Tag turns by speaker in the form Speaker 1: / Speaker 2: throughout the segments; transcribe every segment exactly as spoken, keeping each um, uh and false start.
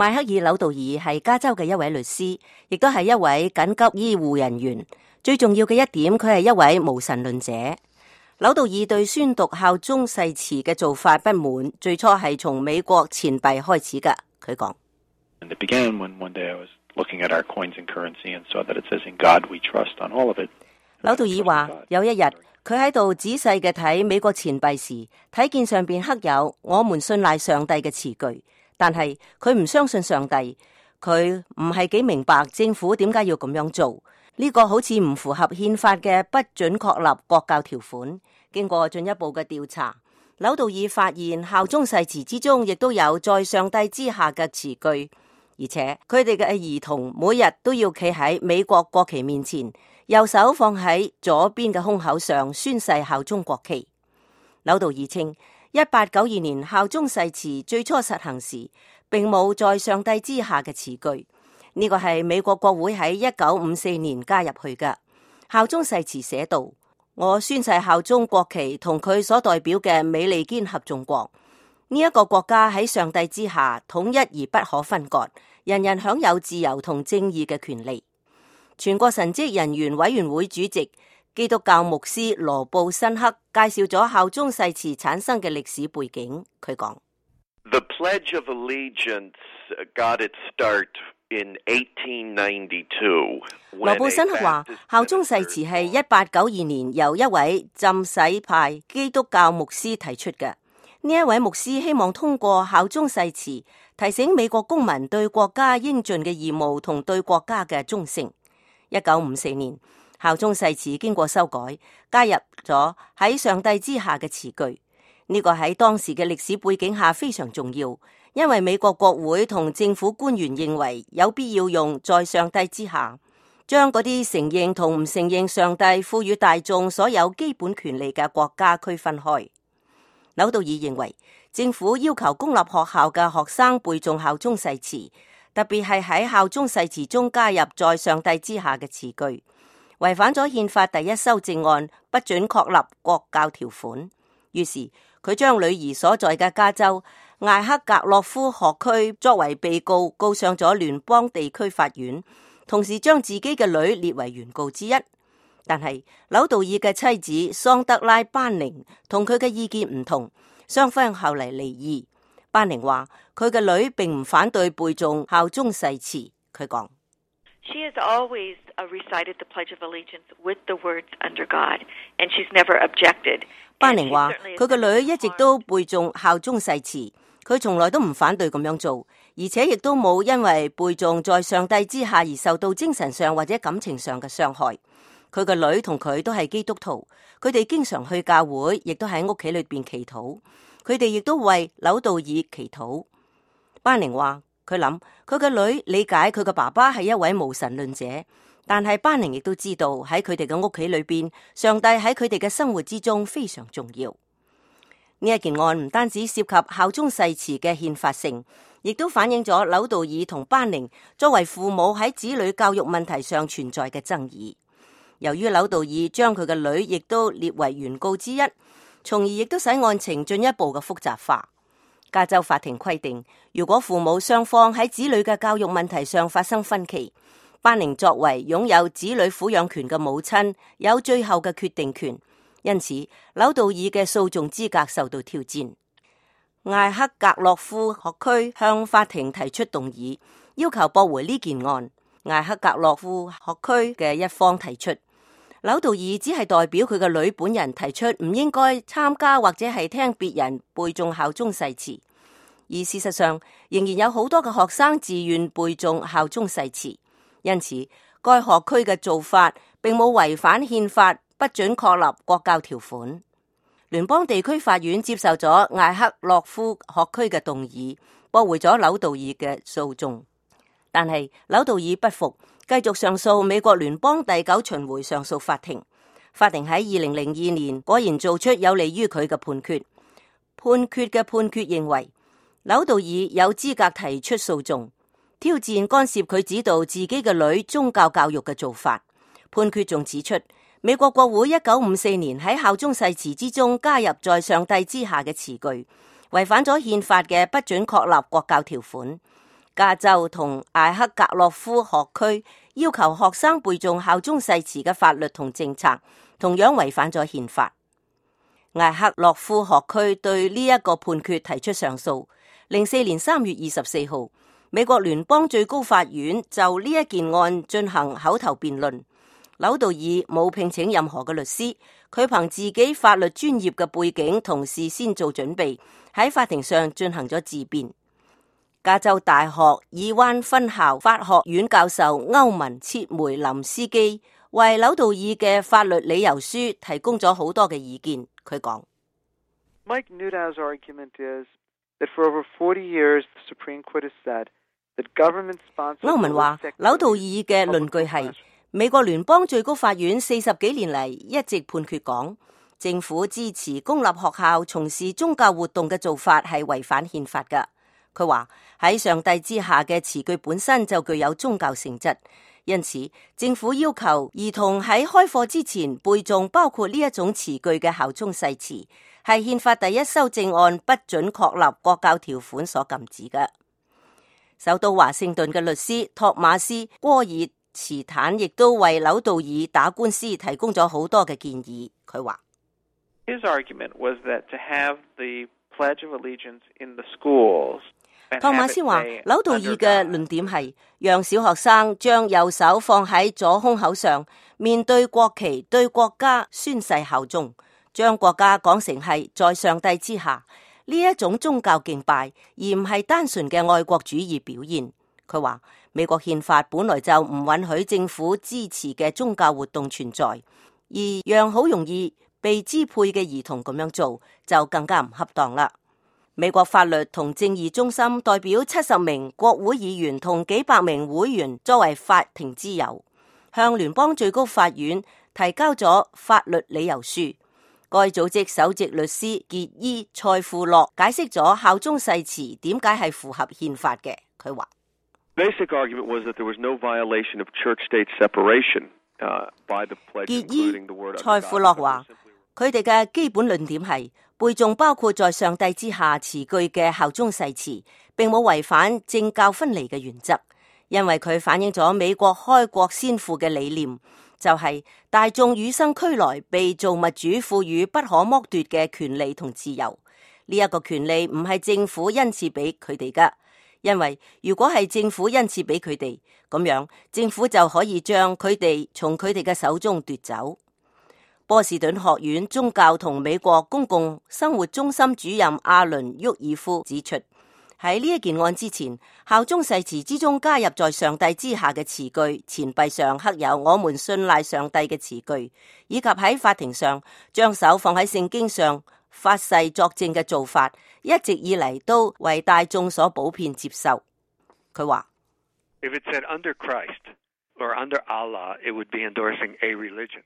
Speaker 1: 邁克爾·紐道爾係加州嘅一位律師，亦都係一位緊急醫護人員。最重要嘅一點，佢係一位無神論者。紐道爾對宣讀效忠誓詞嘅做法不滿，最初係從美國錢幣開始㗎。佢講：紐道爾話，有一日佢喺度仔細嘅睇美國錢幣時，睇見上邊刻有我們信賴上帝嘅詞句，但係佢唔相信上帝，佢唔係幾明白政府點解要咁樣做。呢個好似唔符合憲法嘅不准確立國教條款。經過進一步嘅調查，紐道爾發現效忠誓詞之中亦都有在上帝之下嘅詞句，而且佢哋嘅兒童每日都要企喺美國國旗面前，右手放喺左邊嘅胸口上宣誓效忠國旗。紐道爾稱，一八九二年效忠誓詞最初實行時，並冇在上帝之下嘅詞句。呢個係美國國會喺一九五四年加入去嘅。效忠誓詞寫道：我宣誓效忠國旗同佢所代表嘅美利堅合眾國。呢一個國家喺上帝之下統一而不可分割，人人享有自由同正義嘅權利。全國神職人員委員會主席基督教牧師羅布辛克介紹咗效忠誓詞產生嘅歷史背景。佢講
Speaker 2: ：The Pledge of Allegiance got its start in eighteen ninety-two。
Speaker 1: 羅布辛克話，效忠誓詞係一八九二年由一位浸洗派基督教牧師提出嘅。呢一位牧師希望通過效忠誓詞，提醒美國公民對國家應盡嘅義務同對國家嘅忠誠。一九五四年，效忠誓詞經過修改，加入咗喺上帝之下嘅詞句。呢個喺當時嘅歷史背景下非常重要。因為美國國會同政府官員認為有必要用在上帝之下，將嗰啲承認同唔承認上帝賦予大眾所有基本權利嘅國家區分開。紐道爾認為政府要求公立學校嘅學生背誦效忠誓詞，特別係喺效忠誓詞中加入在上帝之下嘅詞句，違反咗憲法第一修正案不准確立國教條款。於是佢將女兒所在嘅加州艾克格洛夫學區作為被告告上咗聯邦地區法院，同時將自己嘅女列為原告之一。但係紐道爾嘅妻子桑德拉班寧同佢嘅意見唔同，雙方後嚟離異。班寧話佢嘅女並唔反對背誦效忠誓詞。佢講
Speaker 3: ：She has always recited the Pledge of Allegiance with the words under God, and she's never objected。
Speaker 1: 班寧話佢嘅女一直都背誦效忠誓詞。佢從來都唔反對咁樣做，而且亦都冇因為背誦在上帝之下而受到精神上或者感情上嘅傷害。佢個女同佢都係基督徒，佢哋經常去教會，亦都喺屋企裏邊祈禱。佢哋亦都為紐道爾祈禱。班寧話佢諗佢個女理解佢嘅爸爸係一位無神論者，但係班寧亦都知道喺佢哋嘅屋企裏邊，上帝喺佢哋嘅生活之中非常重要。呢一件案唔單止涉及效忠誓詞嘅憲法性，亦都反映咗紐道爾同班寧作為父母喺子女教育問題上存在嘅爭議。由於紐道爾將佢嘅女亦都列為原告之一，從而亦都使案情進一步嘅複雜化。加州法庭規定，如果父母雙方喺子女嘅教育問題上發生分歧，班寧作為擁有子女撫養權嘅母親，有最後嘅決定權。因此，紐道爾嘅訴訟資格受到挑戰。艾克格洛夫學區向法庭提出動議，要求駁回呢件案。艾克格洛夫學區嘅一方提出，紐道爾只係代表佢嘅女本人提出唔應該參加或者係聽別人背誦效忠誓詞，而事實上仍然有好多嘅學生自願背誦效忠誓詞。因此，該學區嘅做法並冇違反憲法不准確立國教條款。聯邦地區法院接受咗艾克洛夫學區嘅動議，駁回咗紐道爾嘅訴訟。但係紐道爾不服，繼續上訴美國聯邦第九巡迴上訴法庭。法庭喺二零零二年果然做出有利於佢嘅判決。判決嘅判決認為，紐道爾有資格提出訴訟，挑戰干涉佢指導自己嘅女宗教教育嘅做法。判決仲指出，美國國會一九五四年喺效忠誓詞之中加入在上帝之下嘅詞句，違反咗憲法嘅不准確立國教條款。加州同艾克格洛夫學區要求學生背誦效忠誓詞嘅法律同政策，同樣違反咗憲法。艾克洛夫學區對呢一個判決提出上訴。零四年三月二十四號，美國聯邦最高法院就呢一件案進行口頭辯論。紐道爾冇聘請任何嘅律師，佢憑自己法律專業嘅背景同事先做準備，喺法庭上進行咗自辯。加州大學爾灣分校法學院教授歐文切梅林斯基為紐道爾嘅法律理由書提供咗好多嘅意見。佢講
Speaker 4: Mike Newdow's argument is that for over forty years the Supreme Court has said that government sponsored
Speaker 1: 歐文話紐道爾嘅論據係美國聯邦最高法院四十幾年嚟一直判決講政府支持公立學校從事宗教活動嘅做法係違反憲法㗎。佢話喺上帝之下嘅詞句本身就具有宗教性質，因此政府要求兒童喺開課之前背誦包括呢一種詞句嘅效忠誓詞，係憲法第一修正案不准確立國教條款所禁止嘅。首都華盛頓嘅律師托馬斯戈爾茨坦亦都為紐道爾打官司提供咗好多嘅建議。佢話
Speaker 4: His argument was that to have the Pledge of Allegiance in the schools。托馬斯話紐道爾嘅論點係讓小學生將右手放喺左胸口上，面對國旗對國家宣誓效忠，將國家講成係在上帝之下，呢一種宗教敬拜，而唔係單純嘅愛國主義表現。佢話美國憲法本來就唔允許政府支持嘅宗教活動存在，而讓好容易被支配嘅兒童咁樣做就更加唔恰當啦。美國法律同正義中心代表七十名國會議員同幾百名會員作為法庭之友，向聯邦最高法院提交咗法律理由書。該組織首席律師傑伊塞富洛解釋咗效忠誓詞點解係符合憲法嘅。佢話
Speaker 2: Basic argument was that there was no violation of church-state separation by the pledge, including the word.
Speaker 1: 傑伊塞富洛話佢哋嘅基本論點係背誦包括在上帝之下詞句嘅效忠誓詞，並冇違反政教分離嘅原則，因為佢反映咗美國開國先父嘅理念，就係、是、大眾與生俱來被造物主賦予不可剝奪嘅權利同自由。呢、這、一個權利唔係政府恩賜俾佢哋噶，因為如果係政府恩賜俾佢哋，咁樣政府就可以將佢哋從佢哋嘅手中奪走。波士頓學院宗教同美國公共生活中心主任阿倫沃爾夫指出，喺呢一件案之前，效忠誓詞之中加入在上帝之下嘅詞句，錢幣上刻有我們信賴上帝嘅詞句，以及喺法庭上將手放喺聖經上發誓作證嘅做法，一直以嚟都為大眾所普遍接受。佢話
Speaker 5: If it said under Christ or under Allah, it would be endorsing a religion.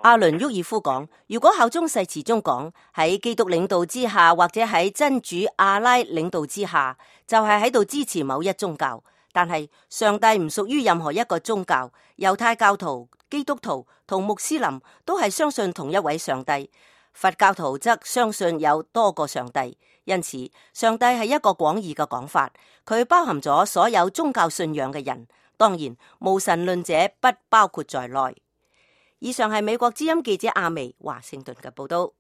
Speaker 1: 阿倫沃爾夫講，如果效忠誓詞中講喺基督領導之下，或者喺真主阿拉領導之下，就係喺度支持某一宗教。但係上帝唔屬於任何一個宗教，猶太教徒、基督徒同穆斯林都係相信同一位上帝，佛教徒則相信有多個上帝。因此，上帝係一個廣義嘅講法，佢包含咗所有宗教信仰嘅人，當然無神論者不包括在內。以上係美國之音記者阿薇華盛頓嘅報道。